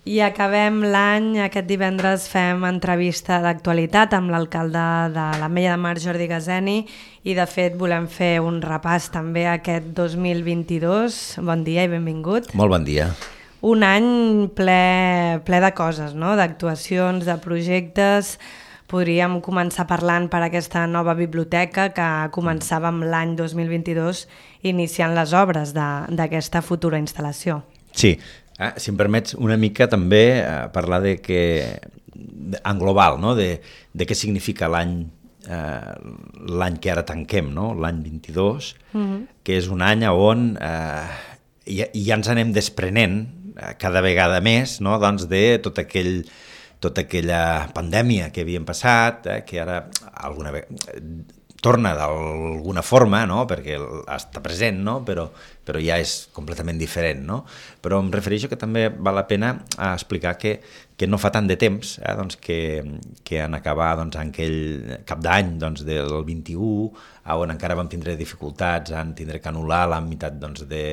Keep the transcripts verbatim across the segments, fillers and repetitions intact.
I acabem l'any, aquest divendres fem entrevista d'actualitat amb l'alcalde de l'Ametlla de Mar, Jordi Gazeni, i de fet volem fer un repàs també aquest dos mil vint-i-dos. Bon dia i benvingut. Molt bon dia. Un any ple, ple de coses, no? D'actuacions, de projectes. Podríem començar parlant per aquesta nova biblioteca que començàvem l'any dos mil vint-i-dos iniciant les obres d'aquesta futura instal·lació. Sí. Ah, si em permets una mica també eh, parlar de que, en global, no? de, de què significa l'any eh, l'any que ara tanquem, no? L'any vint-i-dos, mm-hmm. que és un any on eh, ja, ja ens anem desprenent eh, cada vegada més, no? Doncs de tot aquell, tota aquella pandèmia que havíem passat, eh, que ara alguna vegada torna d'alguna forma, no? Perquè està present, no? però, però ja és completament diferent. No? Però em refereixo que també val la pena explicar que, que no fa tant de temps eh, doncs que, que en acabar doncs, en aquell cap d'any doncs, del vint-i-u, on encara vam tindre dificultats en tindre que anul·lar la meitat doncs, de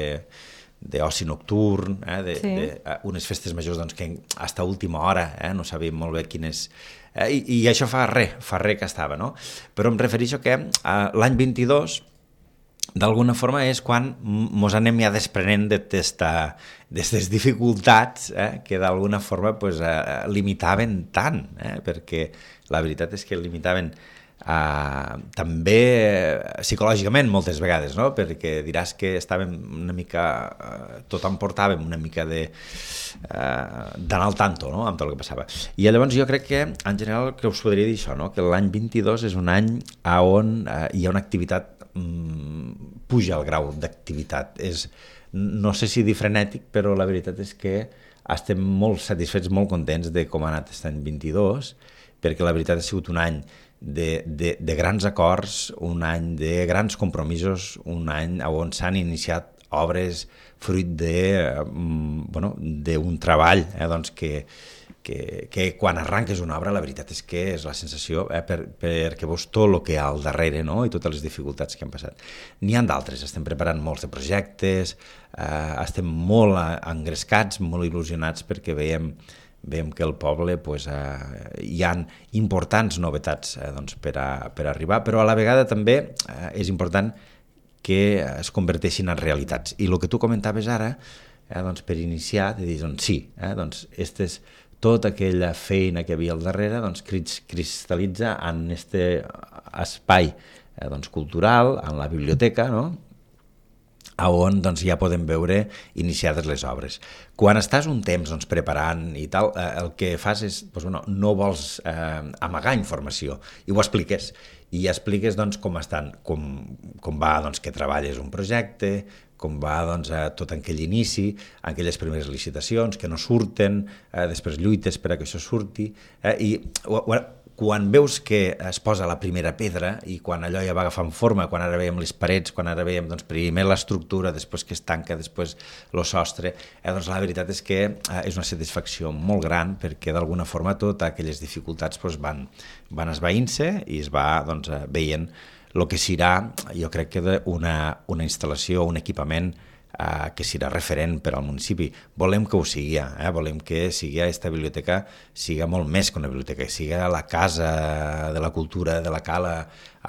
d'oci nocturn, eh, de, sí. de, uh, unes festes majors doncs, que fins a última hora eh, no sabíem molt bé quines... Eh, i, I això fa res, fa res que estava, no? Però em refereixo que uh, l'any vint-i-dos, d'alguna forma, és quan mos anem ja desprenent d'aquestes dificultats eh, que d'alguna forma pues, uh, limitaven tant, eh, perquè la veritat és que limitaven Uh, també psicològicament moltes vegades, no? Perquè diràs que estàvem una mica, uh, tothom portàvem una mica de uh, d'anar al tanto, no? Amb tot el que passava. I llavors jo crec que en general que us podria dir això, no? Que l'any vint-i-dos és un any on uh, hi ha una activitat, um, puja el grau d'activitat. És, no sé si dir frenètic, però la veritat és que estem molt satisfets, molt contents de com ha anat aquest any vint-i-dos, perquè la veritat ha sigut un any De, de, de grans acords, un any de grans compromisos, un any on s'han iniciat obres fruit de, um, bueno, d'un treball eh, doncs que, que, que quan arranques una obra la veritat és que és la sensació eh, per, perquè veus tot el que hi ha al darrere, no? I totes les dificultats que han passat. N'hi ha d'altres, estem preparant molts de projectes, eh, estem molt engrescats, molt il·lusionats perquè veiem veiem que al poble pues, eh, hi ha importants novetats eh, doncs, per, a, per arribar, però a la vegada també eh, és important que es converteixin en realitats. I el que tu comentaves ara, eh, doncs, per iniciar, de dir, doncs sí, eh, doncs, és tota aquella feina que hi havia al darrere doncs, cristal·litza en aquest espai eh, doncs, cultural, en la biblioteca, no? On doncs, ja podem veure iniciades les obres. Quan estàs un temps doncs, preparant i tal, eh, el que fas és, doncs, bueno, no vols eh, amagar informació, i ho expliques. I expliques doncs, com estan, com, com va doncs, que treballes un projecte, com va doncs, a tot aquell inici, aquelles primeres licitacions que no surten, eh, després lluites per a que això surti, eh, i bueno, quan veus que es posa la primera pedra i quan allò ja va agafant forma, quan ara veiem les parets, quan ara veiem doncs, primer l'estructura, després que es tanca, després el sostre, eh, doncs la veritat és que eh, és una satisfacció molt gran perquè d'alguna forma totes aquelles dificultats doncs, van, van esvaint-se i es va doncs, veient el que serà, jo crec que una, una instal·lació, un equipament Uh, que serà referent per al municipi. Volem que ho sigui, eh? Volem que sigui aquesta biblioteca siga molt més que una biblioteca, siga la casa de la cultura de la Cala,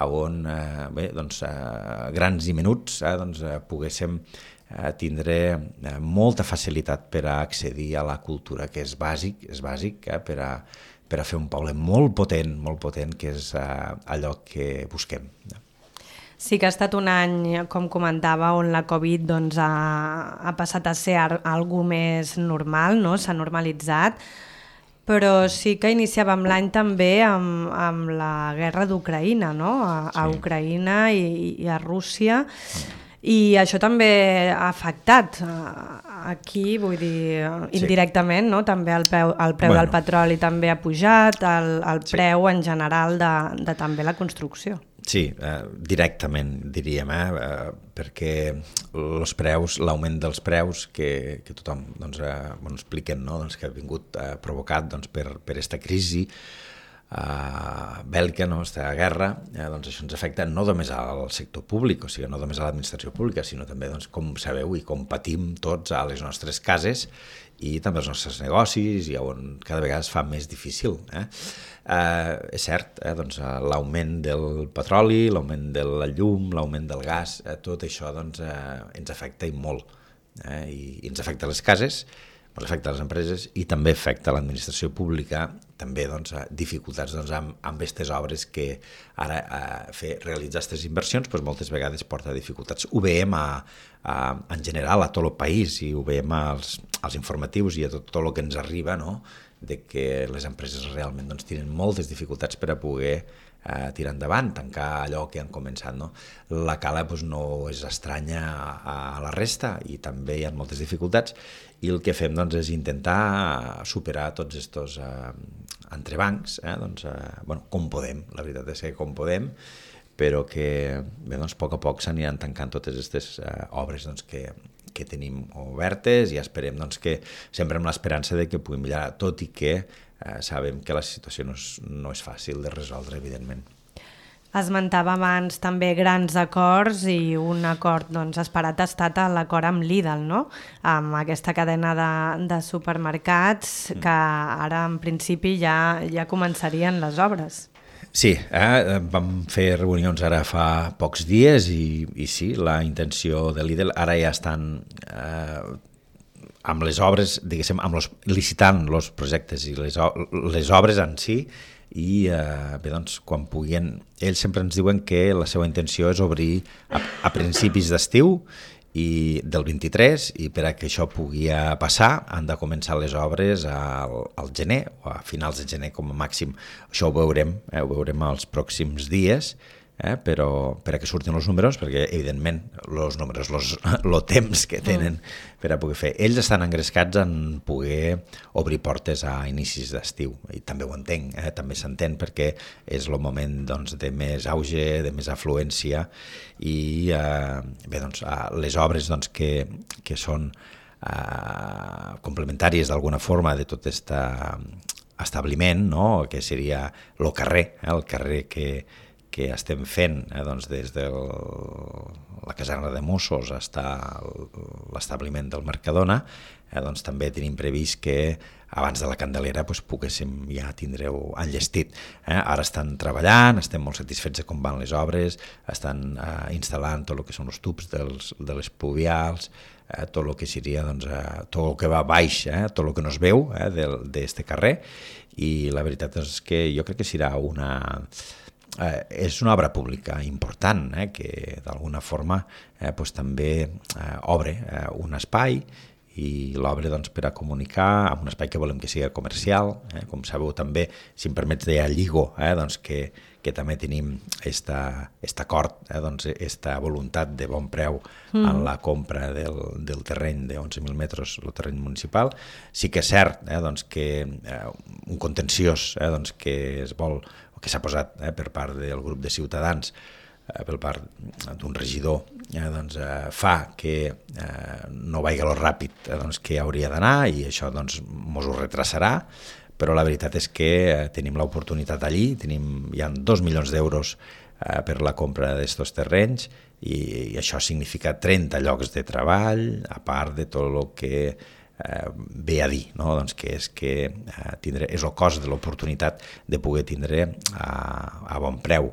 on uh, bé, doncs, uh, grans i menuts eh, doncs, uh, poguéssim uh, tindre uh, molta facilitat per a accedir a la cultura, que és bàsic, és bàsic eh, per, a, per a fer un poble molt potent, molt potent, que és uh, allò que busquem. Sí que ha estat un any, com comentava, on la Covid doncs, ha, ha passat a ser algo més normal, no? S'ha normalitzat, però sí que iniciàvem l'any també amb, amb la guerra d'Ucraïna, no? A, sí. a Ucraïna i, i a Rússia, i això també ha afectat aquí, vull dir, indirectament, no? També el preu, el preu bueno. del petroli també ha pujat, el, el sí. preu en general de, de també la construcció. Sí, eh, directament diríem, eh, eh, perquè els preus, l'augment dels preus que, que tothom doncs, eh, bueno, expliquen, no? doncs, que ha vingut eh, provocat doncs, per aquesta crisi eh, bèl·lica, no? aquesta guerra, eh, doncs això ens afecta no només al sector públic, o sigui, no només a l'administració pública, sinó també, doncs, com sabeu i com patim tots a les nostres cases i també els nostres negocis, i on cada vegada es fa més difícil. Eh? Eh, és cert, eh? doncs, l'augment del petroli, l'augment de la llum, l'augment del gas, eh? tot això doncs, eh, ens afecta i molt. Eh? I, I ens afecta a les cases, ens afecta a les empreses i també afecta a l'administració pública, també doncs, dificultats doncs, amb, amb aquestes obres que ara eh, fer, realitzar aquestes inversions doncs, moltes vegades porta dificultats. Ho veiem a, a, en general a tot el país i ho veiem als, als informatius i a tot, tot el que ens arriba, no? De que les empreses realment doncs, tenen moltes dificultats per a poder eh, tirar endavant, tancar allò que han començat. No? La Cala doncs, no és estranya a, a la resta i també hi ha moltes dificultats i el que fem doncs, és intentar superar tots aquests eh, entrebancs, eh, doncs, eh, bueno, com podem, la veritat és que com podem, però que bé, doncs, a poc a poc s'aniran tancant totes aquestes eh, obres doncs, que, que tenim obertes i esperem doncs, que sempre amb l'esperança de que puguem millorar, tot i que eh, sabem que la situació no és, no és fàcil de resoldre, evidentment. Esmentava abans també grans acords i un acord doncs, esperat ha estat l'acord amb Lidl, no? Amb aquesta cadena de, de supermercats que ara en principi ja, ja començarien les obres. Sí, eh, vam fer reunions ara fa pocs dies i, i sí, la intenció de Lidl ara ja estan eh, amb les obres, diguéssim, amb los, licitant els projectes i les, les obres en si i eh, bé, doncs, quan puguin, ells sempre ens diuen que la seva intenció és obrir a, a principis d'estiu i del vint-i-tres i per a que això pugui passar han de començar les obres al, al gener o a finals de gener com a màxim. Això ho veurem, eh, ho veurem els pròxims dies, eh, però per a que surtin els números, perquè evidentment els números, el temps que tenen per a poder fer. Ells estan engrescats en poder obrir portes a inicis d'estiu i també ho entenc, eh, també s'entén perquè és el moment doncs, de més auge, de més afluència i eh, bé, doncs, les obres doncs, que, que són eh, complementàries d'alguna forma de tot aquest establiment, no? Que seria el carrer, eh, el carrer que que estem fent eh, doncs des de la caserna de Mossos fins a l'establiment del Mercadona, eh, doncs també tenim previst que abans de la Candelera doncs, poguéssim ja tindreu enllestit. Eh? Ara estan treballant, estem molt satisfets de com van les obres, estan eh, instal·lant tot el que són els tubs dels, de les pluvials, eh, tot el que seria doncs, eh, tot el que va baix, eh, tot el que no es veu eh, d'aquest carrer, i la veritat és que jo crec que serà una... Eh, és una obra pública important eh, que d'alguna forma eh, pues, també eh, obre eh, un espai i l'obre doncs, per a comunicar amb un espai que volem que sigui comercial, eh, com sabeu també, si em permets dir a Lligo, eh, doncs que, que també tenim aquest acord, eh, doncs, esta voluntat de bon preu mm. en la compra del, del terreny de onze mil metres, el terreny municipal. Sí que és cert eh, doncs, que eh, un contenciós eh, doncs, que es vol que s'ha posat eh, per part del grup de Ciutadans, eh, per part d'un regidor, eh, doncs, eh, fa que eh, no vagi lo ràpid eh, doncs, que hauria d'anar i això doncs, mos ho retrasarà, però la veritat és que eh, tenim l'oportunitat allí, tenim, hi ha dos milions d'euros eh, per la compra d'aquests terrenys i, i això significa trenta llocs de treball, a part de tot el que Eh, ve a dir, no? Doncs que és que eh, tindre, és el cost de l'oportunitat de poder tindre a, a bon preu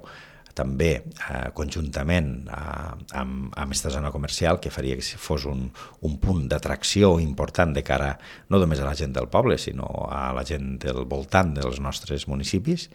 també eh, conjuntament eh, amb, amb aquesta zona comercial que faria que fos un, un punt d'atracció important de cara no només a la gent del poble sinó a la gent del voltant dels nostres municipis.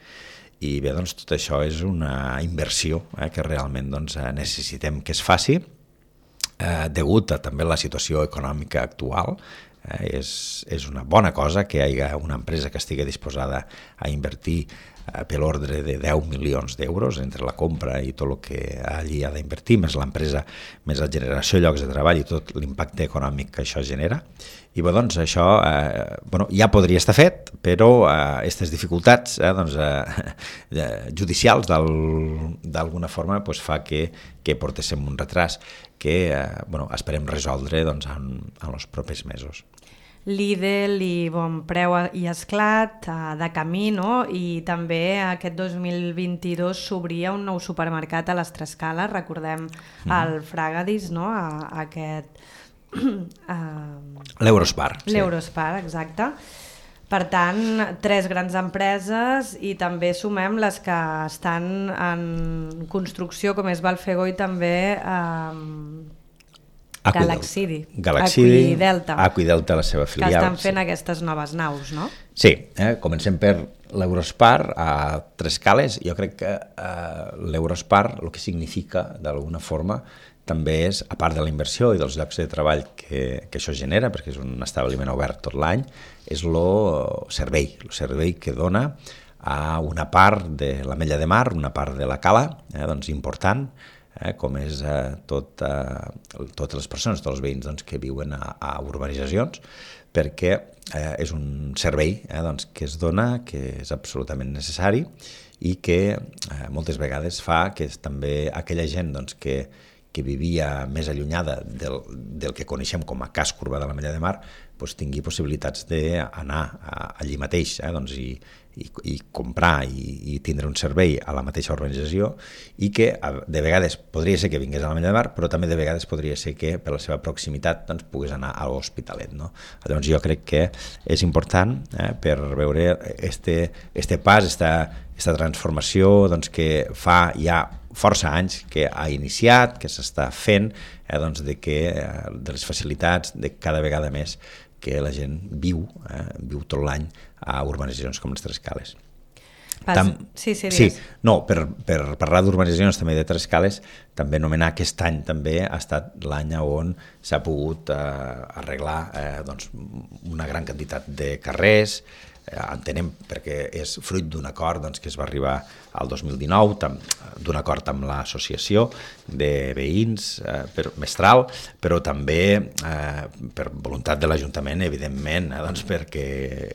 I bé, doncs tot això és una inversió eh, que realment doncs, necessitem que es faci eh, degut a també la situació econòmica actual. Eh, és, és una bona cosa que hi hagi una empresa que estigui disposada a invertir eh, per l'ordre de deu milions d'euros entre la compra i tot el que allí ha d'invertir, més l'empresa, més la generació de llocs de treball i tot l'impacte econòmic que això genera. I bé, doncs això eh, bueno, ja podria estar fet, però aquestes eh, dificultats eh, doncs, eh, judicials d'alguna forma pues, fa que, que portéssim un retras que eh, bueno, esperem resoldre doncs, en, en els propers mesos. Lidl i Bon Preu i Esclat eh, de camí, no? I també aquest dos mil vint-i-dos s'obria un nou supermercat a les Trescales, recordem mm. el Fragadis, no? A, a aquest Uh, L'Eurospar. Sí. L'Eurospar, exacte. Per tant, tres grans empreses i també sumem les que estan en construcció, com és Valfego i també eh, Galaxidi. Galaxidi, Aquidelta. Aquidelta, la seva filial. Que estan fent sí. aquestes noves naus, no? Sí, eh? Comencem per l'Eurospar a tres cales. Jo crec que eh, l'Eurospar el que significa, d'alguna forma, també és, a part de la inversió i dels llocs de treball que, que això genera, perquè és un establiment obert tot l'any, és el servei, el servei que dona a una part de l'Ametlla de Mar, una part de la cala, eh, doncs important, eh, com és eh, tot, eh, totes les persones, tots els veïns doncs, que viuen a, a urbanitzacions, perquè eh, és un servei eh, doncs, que es dona, que és absolutament necessari i que eh, moltes vegades fa que també aquella gent doncs, que que vivia més allunyada del, del que coneixem com a casc urbà de l'Ametlla de Mar, doncs tingui possibilitats d'anar allí mateix eh, doncs, i, i, i comprar i, i tindre un servei a la mateixa urbanització i que de vegades podria ser que vingués a l'Ametlla de Mar, però també de vegades podria ser que per la seva proximitat doncs, pogués anar a l'Hospitalet. No? Llavors jo crec que és important eh, per veure este, este pas, esta, esta transformació doncs, que fa ja força anys que ha iniciat, que s'està fent, eh, doncs de, que, eh, de les facilitats de cada vegada més que la gent viu, eh, viu tot l'any a urbanitzacions com les Tres Cales. Pas... Tam... Sí, sí, sí, no, per, per parlar d'urbanitzacions també de Tres Cales, també anomenar aquest any també ha estat l'any on s'ha pogut eh, arreglar eh, doncs, una gran quantitat de carrers, entenem perquè és fruit d'un acord doncs, que es va arribar al dos mil dinou, d'un acord amb l'associació de veïns eh, per, mestral, però també eh, per voluntat de l'Ajuntament, evidentment, eh, doncs, perquè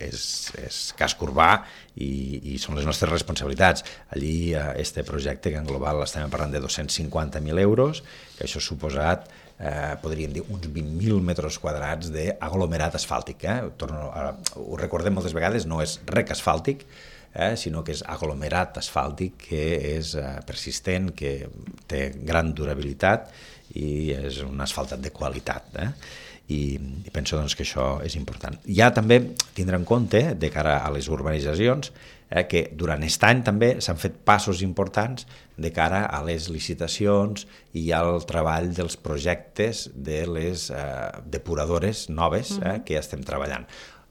és, és casc urbà i, i són les nostres responsabilitats. Allí, eh, este projecte, que en global estem parlant de dos-cents cinquanta mil euros, que això ha suposat Eh, podríem dir uns vint mil metres quadrats d'aglomerat asfàltic. Eh? Torno a, ho recordem moltes vegades, no és rec asfàltic, eh? sinó que és aglomerat asfàltic que és eh, persistent, que té gran durabilitat i és un asfaltat de qualitat. Eh? I, i penso doncs, que això és important. Ja també tindre en compte, de cara a les urbanitzacions, eh, que durant aquest any també s'han fet passos importants de cara a les licitacions i al treball dels projectes de les eh, depuradores noves eh, que estem treballant.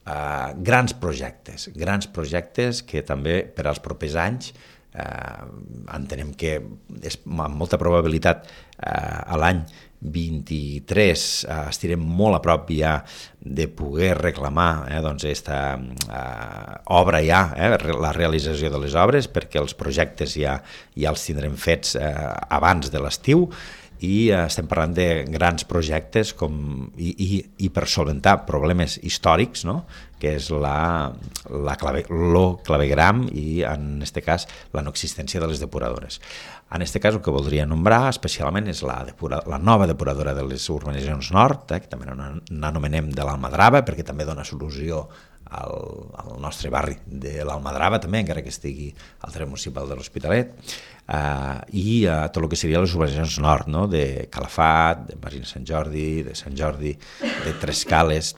Eh, grans projectes, grans projectes que també per als propers anys eh, entenem que és amb molta probabilitat eh, a l'any vint-i-tres eh, estirem molt a prop ja de poder reclamar eh, doncs esta eh, obra ja, eh, la realització de les obres, perquè els projectes ja, ja els tindrem fets eh, abans de l'estiu i eh, estem parlant de grans projectes com, i, i, i per solventar problemes històrics, no? Que és la, la clave, lo clavegram i en aquest cas la no existència de les depuradores. En aquest cas el que voldria nombrar especialment és la, depura, la nova depuradora de les urbanitzacions nord, eh, que també n'anomenem de l'Almadrava, perquè també dona solució al, al nostre barri de l'Almadrava també, encara que estigui al terme municipal de l'Hospitalet, eh, i eh, tot el que seria les urbanitzacions nord, no? De Calafat, de Marina Sant Jordi, de Sant Jordi, de Tres Cales,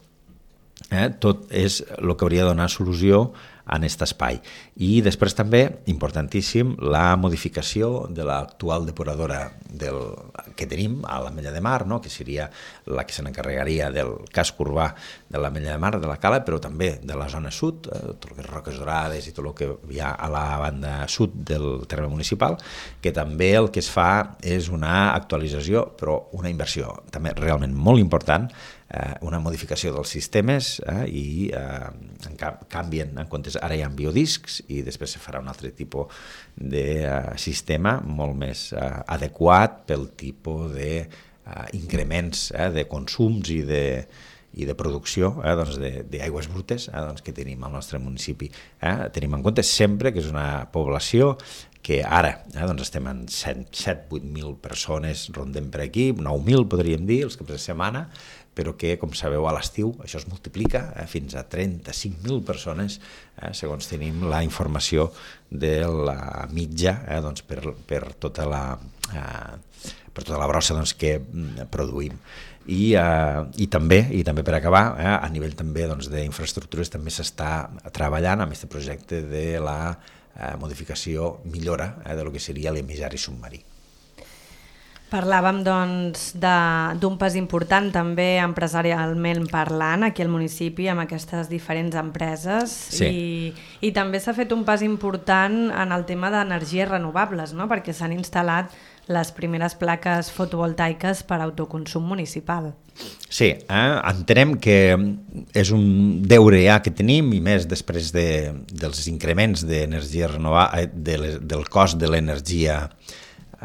eh? Tot és el que hauria de donar solució en aquest espai. I després també, importantíssim, la modificació de l'actual depuradora del, que tenim a l'Ametlla de Mar, no? Que seria la que se n'encarregaria del casc urbà de l'Ametlla de Mar, de la Cala, però també de la zona sud, eh, tot el que és Roques Dorades i tot el que hi ha a la banda sud del terme municipal, que també el que es fa és una actualització, però una inversió també realment molt important, eh, una modificació dels sistemes eh, i eh, en canvien, en comptes ara hi ha biodiscs i després se farà un altre tipus de uh, sistema molt més uh, adequat pel tipus d'increments uh, eh, de consums i de, i de producció eh, doncs d'aigües brutes eh, doncs que tenim al nostre municipi. Eh? Tenim en compte sempre que és una població que ara eh, doncs estem en set vuit mil persones, rondem per aquí, nou mil podríem dir, els caps de setmana, però que, com sabeu, a l'estiu això es multiplica eh, fins a trenta-cinc mil persones, eh, segons tenim la informació de la mitja eh, doncs per, per, tota la, eh, per tota la brossa doncs, que produïm. I, eh, i, també, i també per acabar, eh, a nivell també doncs, d'infraestructures també s'està treballant amb aquest projecte de la eh, modificació, millora eh, de lo que seria l'emissari submarí. Parlàvem doncs d'un pas important també empresarialment parlant aquí al municipi amb aquestes diferents empreses sí. i, i també s'ha fet un pas important en el tema d'energies renovables, no? Perquè s'han instal·lat les primeres plaques fotovoltaiques per autoconsum municipal. Sí, eh? entenem que és un deure ja que tenim i més després de, dels increments d'energia renovable, de les, del cost de l'energia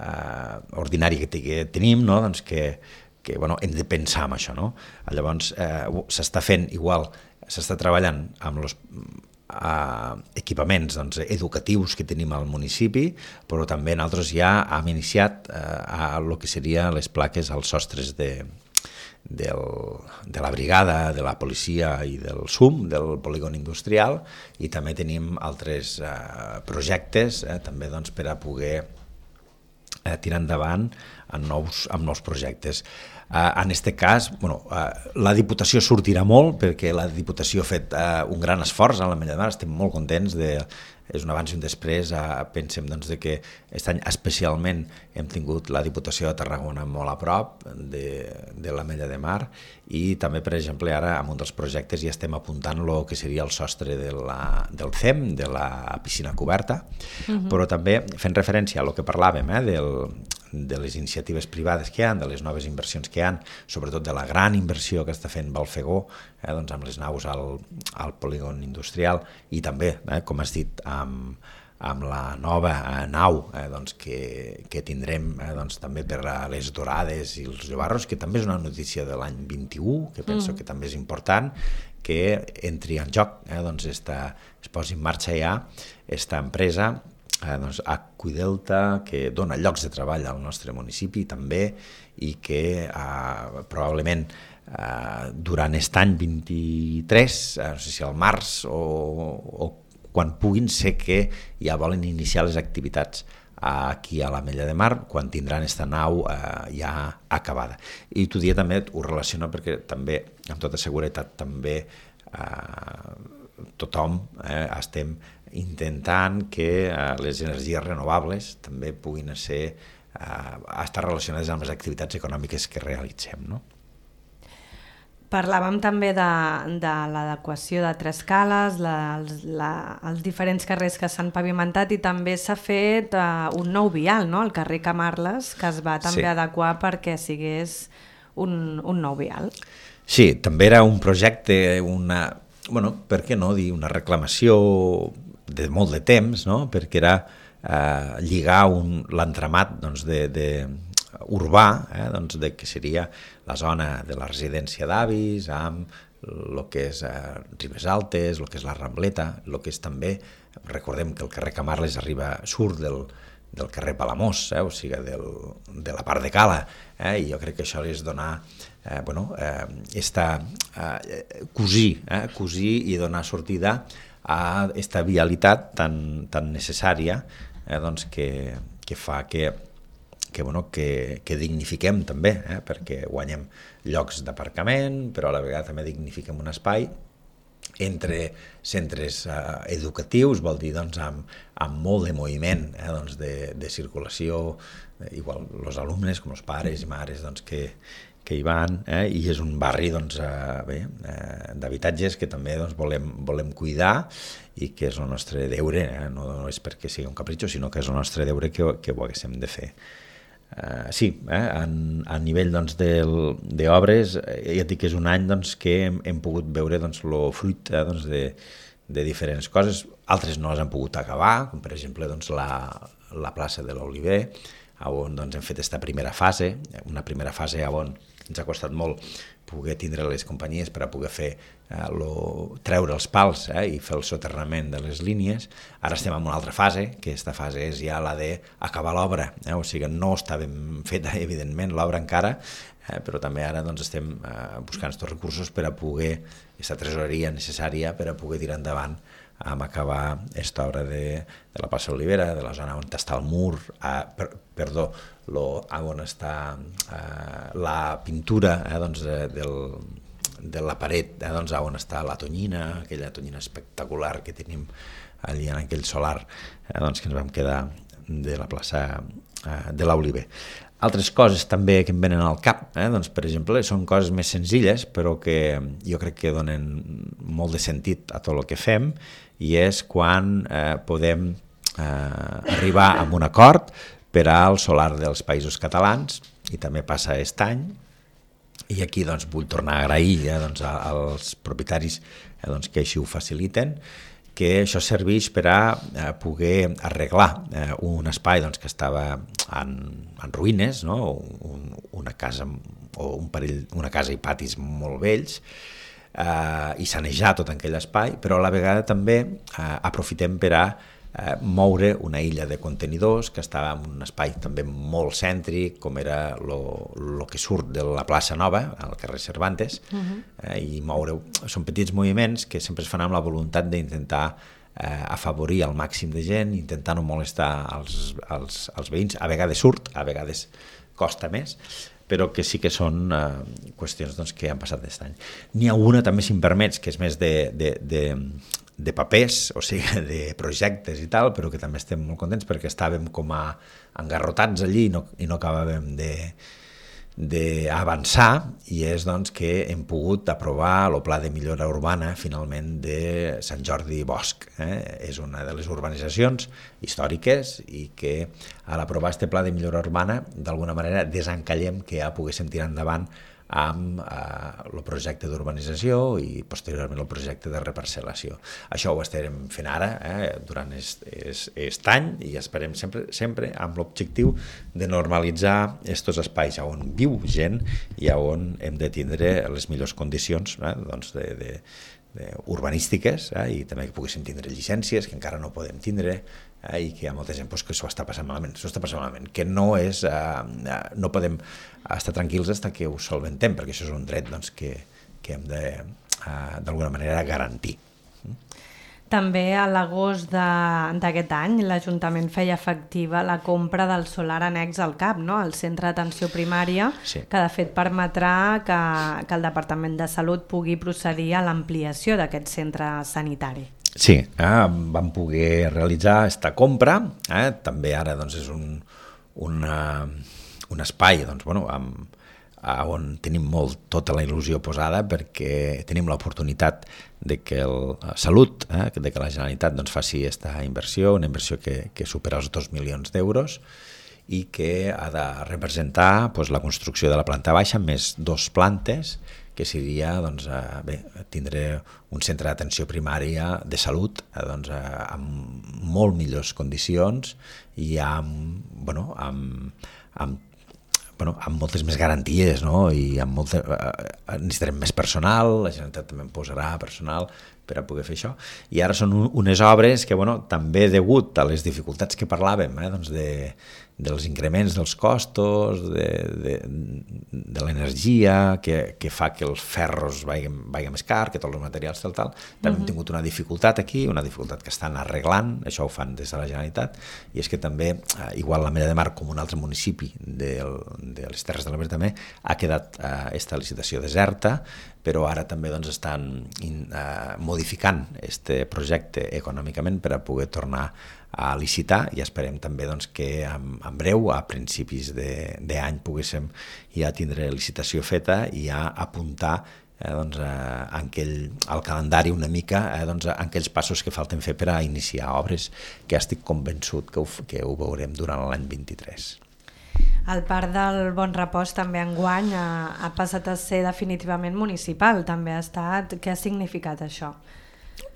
Uh, ordinari que, que tenim, no? doncs que, que bueno, hem de pensar en això. No? Llavors uh, s'està fent igual, s'està treballant amb els uh, equipaments doncs, educatius que tenim al municipi, però també nosaltres ja hem iniciat uh, a el que serien les plaques als sostres de, del, de la brigada, de la policia i del S U M, del polígon industrial, i també tenim altres uh, projectes eh, també doncs, per a poder Eh, tirar endavant en nous, en nous projectes. Eh, en aquest cas, bueno, eh, la Diputació sortirà molt perquè la Diputació ha fet eh, un gran esforç a l'Ametlla de Mar, estem molt contents, de, és un abans i un després, eh, pensem doncs, de que aquest any especialment hem tingut la Diputació de Tarragona molt a prop de, de l'Ametlla de Mar i també, per exemple, ara en un dels projectes ja estem apuntant el que seria el sostre de la, del C E M, de la piscina coberta, uh-huh. però també fent referència a el que parlàvem, eh, del, de les iniciatives privades que hi ha, de les noves inversions que hi ha, sobretot de la gran inversió que està fent Balfegó, eh, doncs amb les naus al, al polígon industrial i també, eh, com has dit, amb, amb la nova eh, nau eh, doncs que, que tindrem eh, doncs també per a les dorades i els llobarros, que també és una notícia de l'any vint-i-u, que penso mm. que també és important, que entri en joc, eh, doncs esta, es posi en marxa ja esta empresa, eh, doncs Aquadelta, que dona llocs de treball al nostre municipi també i que eh, probablement eh, durant aquest any vint-i-tres, eh, no sé si al març o, o quan puguin, sé que ja volen iniciar les activitats aquí a l'Ametlla de Mar, quan tindran aquesta nau eh, ja acabada. I t'ho dia també, ho relaciono perquè també, amb tota seguretat, també eh, tothom eh, estem intentant que eh, les energies renovables també puguin ser, eh, estar relacionades amb les activitats econòmiques que realitzem, no? Parlàvem també de, de l'adequació de tres cales, la, els, la, els diferents carrers que s'han pavimentat i també s'ha fet uh, un nou vial, no? El carrer Camarles, que es va també sí. adequar perquè sigués un, un nou vial. Sí, també era un projecte, una, bueno, per què no dir, una reclamació de molt de temps, no? Perquè era eh, lligar l'entramat doncs, de... de urbà, eh, doncs de que seria la zona de la residència d'avis amb el que és eh, Ribes Altes, el que és la Rambleta, el que és també, recordem que el carrer Camarles arriba, surt del, del carrer Palamós, eh, o sigui, del, de la part de Cala, eh, i jo crec que això és donar, eh, bueno, eh, esta, eh, cosir, eh, cosir i donar sortida a aquesta vialitat tan, tan necessària eh, doncs que, que fa que que, bueno, que, que dignifiquem també, eh, perquè guanyem llocs d'aparcament, però a la vegada també dignifiquem un espai entre centres eh, educatius, vol dir doncs, amb, amb molt de moviment eh, doncs, de, de circulació, eh, igual els alumnes com els pares i mares doncs, que, que hi van, eh, i és un barri doncs, eh, bé, eh, d'habitatges que també doncs, volem, volem cuidar i que és el nostre deure, eh, no, no és perquè sigui un capritxo, sinó que és el nostre deure que, que ho haguéssim de fer. Uh, sí, eh, en, a nivell doncs, d'obres, eh, ja et dic que és un any doncs, que hem, hem pogut veure doncs, el fruit eh, doncs, de, de diferents coses, altres no les han pogut acabar, com per exemple doncs, la, la plaça de l'Oliver, on doncs, hem fet aquesta primera fase, una primera fase on ens ha costat molt poder tindre les companyies per a poder fer eh, lo, treure els pals eh, i fer el soterrament de les línies. Ara estem en una altra fase, que aquesta fase és ja la d'acabar l'obra, eh? O sigui, no està ben feta, evidentment, l'obra encara, eh, però també ara doncs, estem eh, buscant aquests recursos per a poder, aquesta tresoreria necessària per a poder tirar endavant amb acabar aquesta obra de, de la plaça Olivera, de la zona on està el mur, eh, per, perdó, lo, on està eh, la pintura eh, doncs, de, del, de la paret, eh, doncs, on està la tonyina, aquella tonyina espectacular que tenim allí en aquell solar, eh, doncs, que ens vam quedar de la plaça eh, de l'Oliver. Altres coses també que em venen al cap, eh? doncs, per exemple, són coses més senzilles, però que jo crec que donen molt de sentit a tot el que fem, i és quan eh, podem eh, arribar a un acord per al solar dels Països Catalans, i també passa aquest any, i aquí doncs, vull tornar a agrair eh, doncs, als propietaris eh, doncs, que així ho faciliten, que això serveix per a eh, poder arreglar eh, un espai doncs, que estava en, en ruïnes, no? un, una casa o un parell, una casa i patis molt vells, eh, i sanejar tot aquell espai, però a la vegada també eh, aprofitem per a eh, moure una illa de contenidors que estava en un espai també molt cèntric, com era el que surt de la plaça Nova, al carrer Cervantes, uh-huh. eh, i moure... Són petits moviments que sempre es fan amb la voluntat d'intentar eh, afavorir al màxim de gent, intentar no molestar els, els, els veïns. A vegades surt, a vegades costa més, però que sí que són eh, qüestions doncs, que han passat aquest any. N'hi ha una, també, si em permets, que és més de, de, de, de papers, o sigui, de projectes i tal, però que també estem molt contents perquè estàvem com a engarrotats allí i no, i no acabàvem de d'avançar, i és doncs, que hem pogut aprovar el pla de millora urbana finalment de Sant Jordi Bosch. Eh? És una de les urbanitzacions històriques i que a l'aprovar aquest pla de millora urbana d'alguna manera desencallem que ja poguéssim tirar endavant amb eh, el projecte d'urbanització i posteriorment el projecte de reparcel·lació. Això ho estarem fent ara eh, durant aquest any i esperem sempre, sempre amb l'objectiu de normalitzar aquests espais on viu gent i on hem de tindre les millors condicions eh, doncs de, de, de urbanístiques eh, i també que poguéssim tindre llicències que encara no podem tindre eh, i que hi ha molta gent pues, que s'ho està passant malament, s'ho està passant malament, que no és, eh, no podem estar tranquils fins que ho solventem, perquè això és un dret doncs, que, que hem de, uh, d'alguna manera, garantir. També a l'agost d'aquest any l'Ajuntament feia efectiva la compra del solar annex al C A P, no? El Centre d'Atenció Primària, sí. Que de fet permetrà que, que el Departament de Salut pugui procedir a l'ampliació d'aquest centre sanitari. Sí, eh, vam poder realitzar aquesta compra, eh, també ara doncs, és un, una... un espai doncs, bueno, amb, on tenim molt tota la il·lusió posada perquè tenim l'oportunitat de que el Salut, eh, de que la Generalitat doncs, faci aquesta inversió, una inversió que, que supera els dos milions d'euros i que ha de representar doncs, la construcció de la planta baixa més dos plantes, que seria doncs, eh, bé, tindre un centre d'atenció primària de salut eh, doncs, eh, amb molt millors condicions i amb, bueno, amb, amb Bueno, amb moltes més garanties, no? I amb molta, eh, necessitarem més personal, la Generalitat també en posarà personal per a poder fer això. I ara són unes obres que, bueno, també degut a les dificultats que parlàvem, eh, doncs de, dels increments dels costos, de, de, de l'energia, que, que fa que els ferros vagin, vagin més car, que tots els materials tal, tal. També uh-huh. hem tingut una dificultat aquí, una dificultat que estan arreglant, això ho fan des de la Generalitat, i és que també, eh, igual la Mella de Mar, com un altre municipi del, de les Terres de l'Ebre també, ha quedat aquesta eh, licitació deserta, però ara també doncs, estan in, eh, modificant aquest projecte econòmicament per a poder tornar a licitar i esperem també doncs, que en, en breu, a principis d'any, poguéssim ja tindre licitació feta i ja apuntar eh, doncs, eh, aquell, al calendari una mica eh, doncs, aquells passos que falten fer per a iniciar obres que estic convençut que ho, que ho veurem durant l'any vint-i-tres. El Parc del Bon Repòs també enguany ha, ha passat a ser definitivament municipal, també ha estat. Què ha significat això?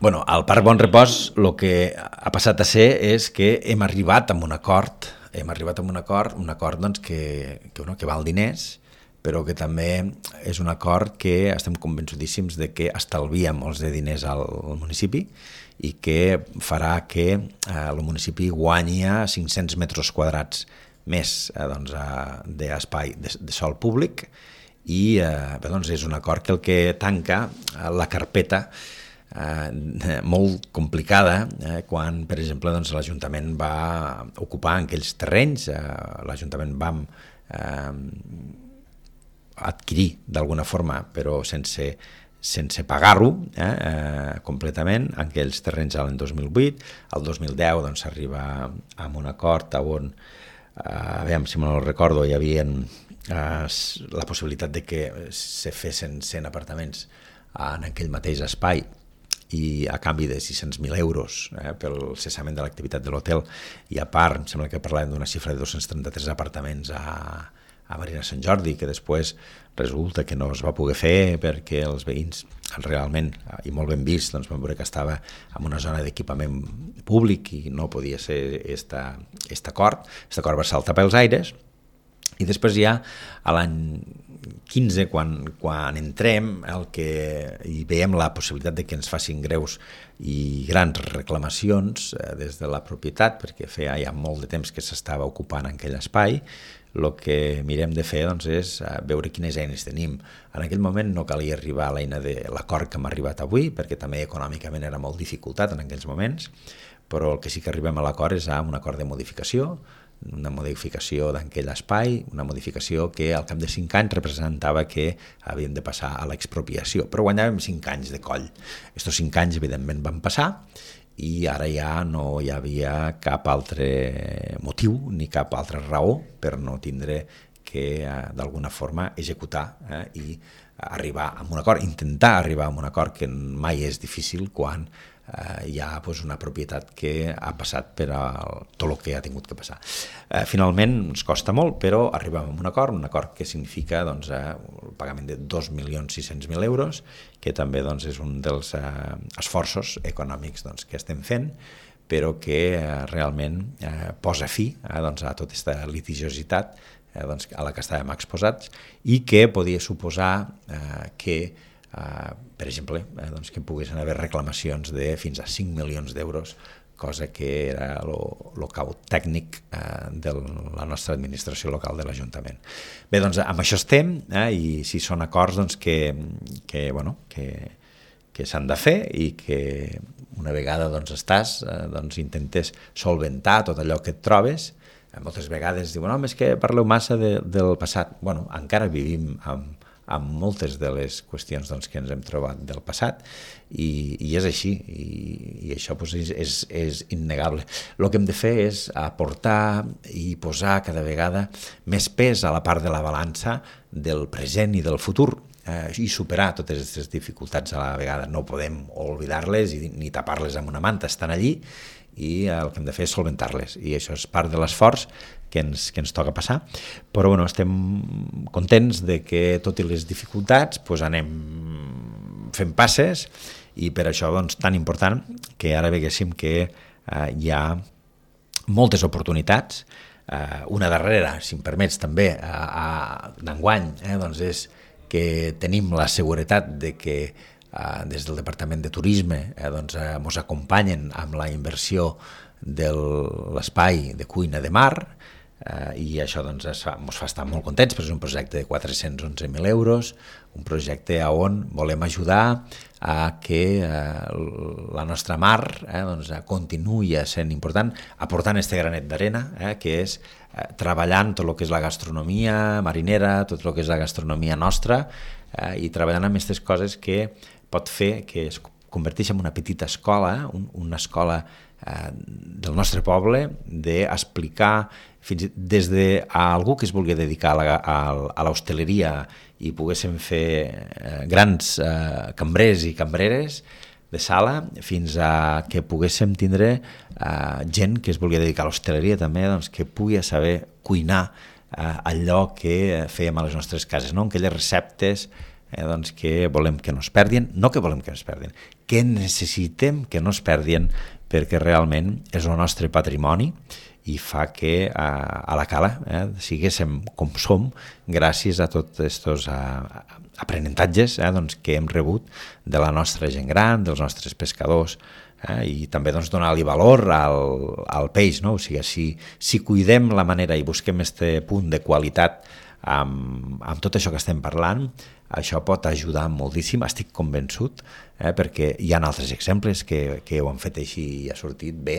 Bueno, al Parc Bon Repòs el que ha passat a ser és que hem arribat a un acord, hem arribat a un acord, un acord doncs, que, que, bueno, que val diners, però que també és un acord que estem convençudíssims de que estalvia molts de diners al municipi i que farà que eh, el municipi guanyi cinc-cents metres quadrats més eh, doncs, eh, d'espai de, de sòl públic i eh, bé, doncs és un acord que el que tanca eh, la carpeta eh, molt complicada eh, quan, per exemple, doncs, l'Ajuntament va ocupar aquells terrenys, eh, l'Ajuntament va eh, adquirir d'alguna forma, però sense, sense pagar-ho eh, eh, completament, en aquells terrenys l'any dos mil vuit. El dos mil deu doncs, s'arriba a un acord on, eh, aviam, si me'l recordo, hi havia eh, la possibilitat de que se fessin cent apartaments en aquell mateix espai i a canvi de sis-cents mil euros eh, pel cessament de l'activitat de l'hotel, i a part, em sembla que parlàvem d'una xifra de dos-cents trenta-tres apartaments a, a Marina Sant Jordi, que després resulta que no es va poder fer perquè els veïns realment, i molt ben vist, doncs vam veure que estava en una zona d'equipament públic i no podia ser aquest acord. Aquest acord va saltar pels aires, i després ja a l'any quinze, quan, quan entrem, el que hi veiem la possibilitat de que ens facin greus i grans reclamacions eh, des de la propietat, perquè feia ja molt de temps que s'estava ocupant en aquell espai, el que mirem de fer doncs, és veure quines eines tenim. En aquell moment no calia arribar a l'eina de l'acord que hem arribat avui, perquè també econòmicament era molt dificultat en aquells moments, però el que sí que arribem a l'acord és a un acord de modificació, una modificació d'aquell espai, una modificació que al cap de cinc anys representava que havien de passar a l'expropiació, però guanyàvem cinc anys de coll. Estos cinc anys, evidentment, van passar i ara ja no hi havia cap altre motiu ni cap altra raó per no tindre que, eh, d'alguna forma, executar eh, i arribar a un acord, intentar arribar a un acord, que mai és difícil quan eh, hi ha pues, una propietat que ha passat per a tot el que ha tingut que passar. Eh, finalment ens costa molt, però arribem a un acord, un acord que significa doncs, eh, el pagament de dos milions sis-cents mil euros, que també doncs, és un dels eh, esforços econòmics doncs, que estem fent, però que eh, realment eh, posa fi eh, doncs, a tota aquesta litigiositat eh, doncs, a la que estàvem exposats i que podia suposar eh, que Uh, per exemple, eh, doncs que poguessin haver reclamacions de fins a cinc milions d'euros, cosa que era el cau tècnic eh, de la nostra administració local de l'Ajuntament. Bé, doncs amb això estem, eh, i si són acords doncs, que, que, bueno, que, que s'han de fer i que una vegada doncs, estàs, eh, doncs, intentes solventar tot allò que et trobes. Eh, moltes vegades diuen, no, és que parleu massa de, del passat. Bueno, encara vivim amb amb moltes de les qüestions doncs, que ens hem trobat del passat i, i és així, i, i això doncs, és, és, és innegable. El que hem de fer és aportar i posar cada vegada més pes a la part de la balança del present i del futur eh, i superar totes aquestes dificultats a la vegada. No podem oblidar-les i, ni tapar-les amb una manta, estan allí i el que hem de fer és solventar-les, i això és part de l'esforç que ens, que ens toca passar, però bueno, estem contents de que tot i les dificultats doncs, anem fent passes, i per això doncs, tan important que ara veguéssim que eh, hi ha moltes oportunitats, eh, una darrera, si em permets també, d'enguany, eh, doncs és que tenim la seguretat de que eh, des del Departament de Turisme eh, doncs, eh, ens acompanyen amb la inversió de l'espai de cuina de mar, Uh, i això doncs, ens fa, ens fa estar molt contents, perquè és un projecte de quatre-cents onze mil euros, un projecte on volem ajudar a que uh, la nostra mar eh, doncs, continuï sent important, aportant este granet d'arena, eh, que és uh, treballant tot el que és la gastronomia marinera, tot el que és la gastronomia nostra, eh, i treballant amb aquestes coses que pot fer que es converteixi en una petita escola, un, una escola eh, del nostre poble, d'explicar fins des de a algú que es vulgui dedicar a l'hostaleria i poguéssim fer eh, grans eh, cambrers i cambreres de sala, fins a que poguéssim tindre eh, gent que es vulgui dedicar a l'hostaleria també, doncs, que pugui saber cuinar eh, allò que fèiem a les nostres cases, no? Aquelles receptes eh, doncs, que volem que no es perdin, no que volem que no es perdin, que necessitem que no es perdin, perquè realment és el nostre patrimoni i fa que a, a la cala eh, siguéssim com som gràcies a tots aquests aprenentatges eh, doncs, que hem rebut de la nostra gent gran, dels nostres pescadors, eh, i també doncs, donar-li valor al, al peix, no? O sigui, si, si cuidem la manera i busquem aquest punt de qualitat amb, amb tot això que estem parlant, això pot ajudar moltíssim, estic convençut, eh, perquè hi ha altres exemples que, que ho han fet així i ha sortit bé,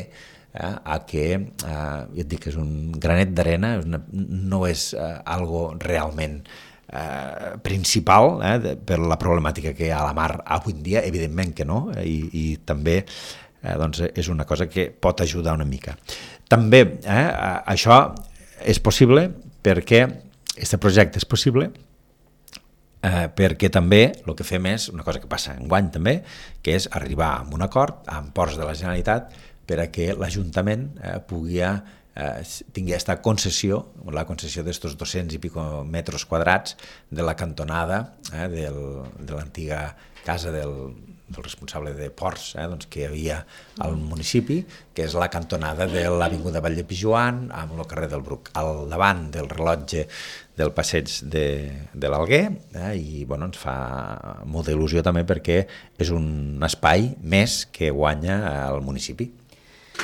eh, a que, eh, jo et dic, és un granet d'arena, no és eh, algo realment eh, principal eh, de, per la problemàtica que hi ha a la mar avui en dia, evidentment que no, eh, i, i també eh, doncs és una cosa que pot ajudar una mica. També eh, això és possible perquè aquest projecte és possible eh, perquè també el que fem és una cosa que passa enguany també, que és arribar a un acord amb Ports de la Generalitat per a que l'Ajuntament eh, pugui eh, tingui aquesta concessió, la concessió d'estos dos-cents i pico metres quadrats de la cantonada eh, del, de l'antiga casa del, del responsable de Ports eh, doncs, que hi havia al municipi, que és la cantonada de l'Avinguda Vall de Pijuan amb el carrer del Bruc, al davant del rellotge del passeig de, de l'Alguer, eh, i bueno, ens fa molta il·lusió també perquè és un espai més que guanya al municipi.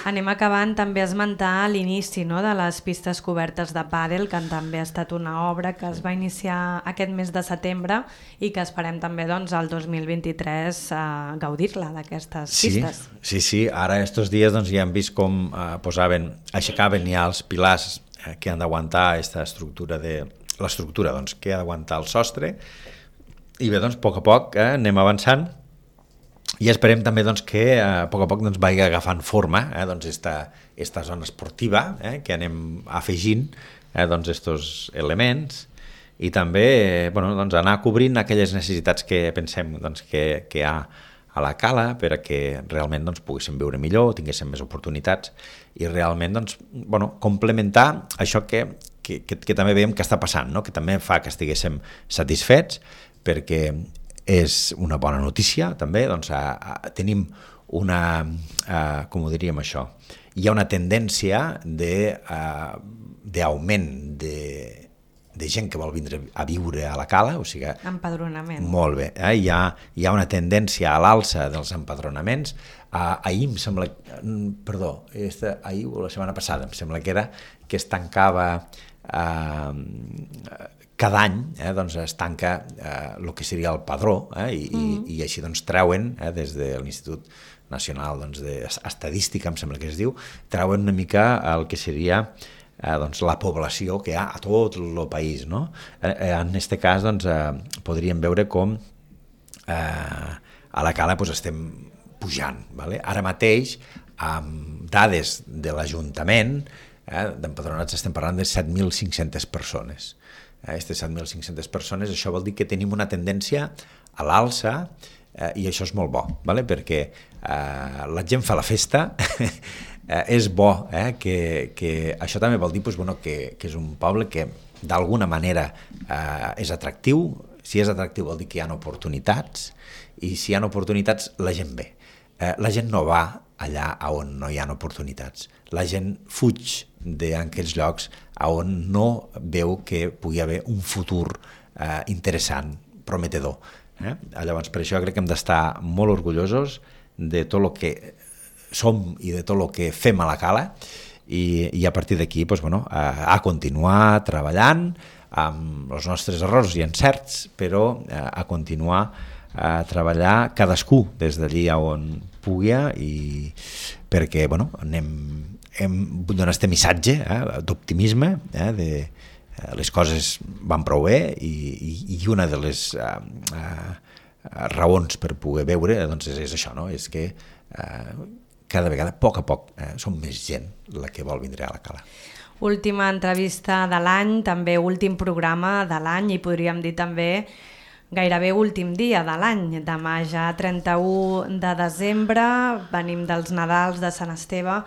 Anem acabant també a esmentar l'inici no, de les pistes cobertes de pàdel, que també ha estat una obra que es va iniciar aquest mes de setembre i que esperem també doncs, el dos mil vint-i-tres eh, gaudir-la d'aquestes sí, pistes. Sí, sí, ara estos dies doncs, ja hem vist com eh, posaven, aixecaven ja els pilars eh, que han d'aguantar aquesta estructura de l'estructura doncs, que ha d'aguantar el sostre, i bé, doncs, a poc a poc eh, anem avançant. I esperem també doncs, que eh, a poc a poc doncs, vagi agafant forma eh, doncs, esta, esta zona esportiva eh, que anem afegint eh, doncs, estos elements i també eh, bueno, doncs, anar cobrint aquelles necessitats que pensem doncs, que, que hi ha a la cala per a que realment doncs, poguéssim viure millor, tinguéssim més oportunitats i realment doncs, bueno, complementar això que, que, que, que també veiem que està passant, no? Que també fa que estiguéssim satisfets perquè és una bona notícia també, doncs a, a, tenim una, a, com ho diríem això, hi ha una tendència d'augment de, de gent que vol vindre a viure a la cala, o sigui... Empadronament. Molt bé, eh? hi, ha, hi ha una tendència a l'alça dels empadronaments. Uh, ahir em sembla, perdó, esta, ahir o la setmana passada em sembla que era que es tancava... Uh, cada any eh, doncs es tanca eh, el que seria el padró eh, i, mm. i, i així doncs treuen eh, des de l'Institut Nacional doncs, d'Estadística, em sembla que es diu, treuen una mica el que seria eh, doncs, la població que hi ha a tot el país. No? Eh, en aquest cas doncs, eh, podríem veure com eh, a la cala doncs, estem pujant. Vale? Ara mateix, amb dades de l'Ajuntament, eh, d'empadronats estem parlant de set mil cinc-centes persones. Aquestes set mil cinc-centes persones, això vol dir que tenim una tendència a l'alça eh, i això és molt bo, vale? Perquè eh, la gent fa la festa, eh, és bo, eh, que, que això també vol dir pues, bueno, que, que és un poble que d'alguna manera eh, és atractiu, si és atractiu vol dir que hi ha oportunitats i si hi ha oportunitats la gent ve. Eh, la gent no va allà on no hi ha oportunitats, la gent fuig d'aquells llocs on no veu que pugui haver un futur eh, interessant, prometedor. Eh? Llavors, per això crec que hem d'estar molt orgullosos de tot el que som i de tot el que fem a la cala i, i a partir d'aquí doncs, bueno, a, a continuar treballant amb els nostres errors i encerts, però a, a continuar a treballar cadascú des d'allí on pugui i perquè bueno, anem hem donat aquest missatge eh, d'optimisme, eh, de eh, les coses van prou bé i, i, i una de les eh, eh, raons per poder veure doncs és, és això, no? És que eh, cada vegada, a poc a poc, eh, som més gent la que vol vindre a la cala. Última entrevista de l'any, també últim programa de l'any i podríem dir també gairebé últim dia de l'any. Demà ja trenta-u de desembre, venim dels Nadals de Sant Esteve,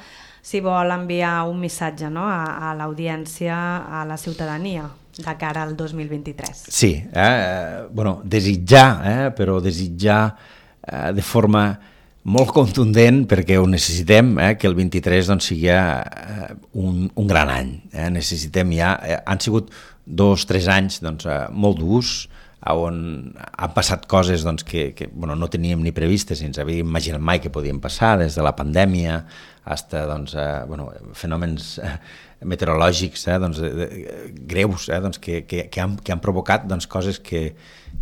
si vol enviar un missatge no? a, a l'audiència, a la ciutadania, de cara al dos mil vint-i-tres. Sí, eh, bueno, desitjar, eh, però desitjar eh, de forma molt contundent perquè ho necessitem, eh, que el vint-i-tres doncs, sigui eh, un, un gran any. Eh? Necessitem ja... Eh, han sigut dos, tres anys doncs, eh, molt durs, on han passat coses doncs, que, que bueno, no teníem ni previstes, ni ens havíem imaginat mai que podien passar, des de la pandèmia fins a doncs, eh, bueno, fenòmens eh, meteorològics eh, doncs, de, de, greus eh, doncs, que, que, que, han, que han provocat doncs, coses que,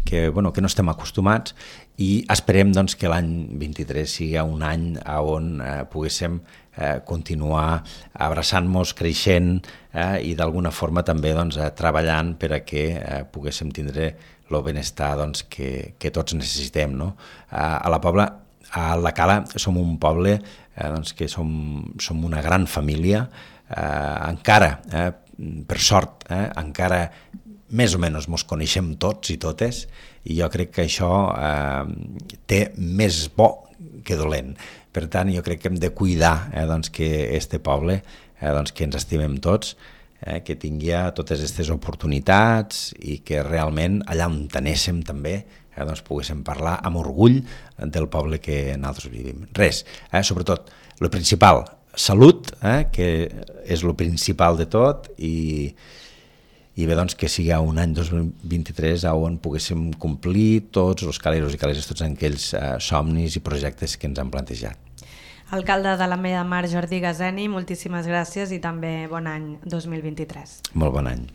que, bueno, que no estem acostumats, i esperem doncs, que l'any vint-i-tres sigui un any on eh, poguéssim eh, continuar abraçant-nos, creixent eh, i d'alguna forma també doncs, eh, treballant per a que eh, poguéssim tindre el benestar doncs, que, que tots necessitem. No? A, a la Pobla, a la Cala, som un poble eh, doncs, que som, som una gran família, eh, encara, eh, per sort, eh, encara més o menys ens coneixem tots i totes, i jo crec que això eh, té més bo que dolent. Per tant, jo crec que hem de cuidar eh, doncs, que este poble, eh, doncs, que ens estimem tots, eh, que tingui totes aquestes oportunitats i que realment allà on tenéssim també eh, doncs, poguéssim parlar amb orgull del poble que nosaltres vivim. Res, eh, sobretot, el principal, salut, eh, que és el principal de tot, i i bé, doncs, que sigui un any dos mil vint-i-tres on poguéssim complir tots els caleros i caleres, tots aquells eh, somnis i projectes que ens han plantejat. Alcalde de l'Ametlla de Mar, Jordi Gazeni, moltíssimes gràcies i també bon any dos mil vint-i-tres. Molt bon any.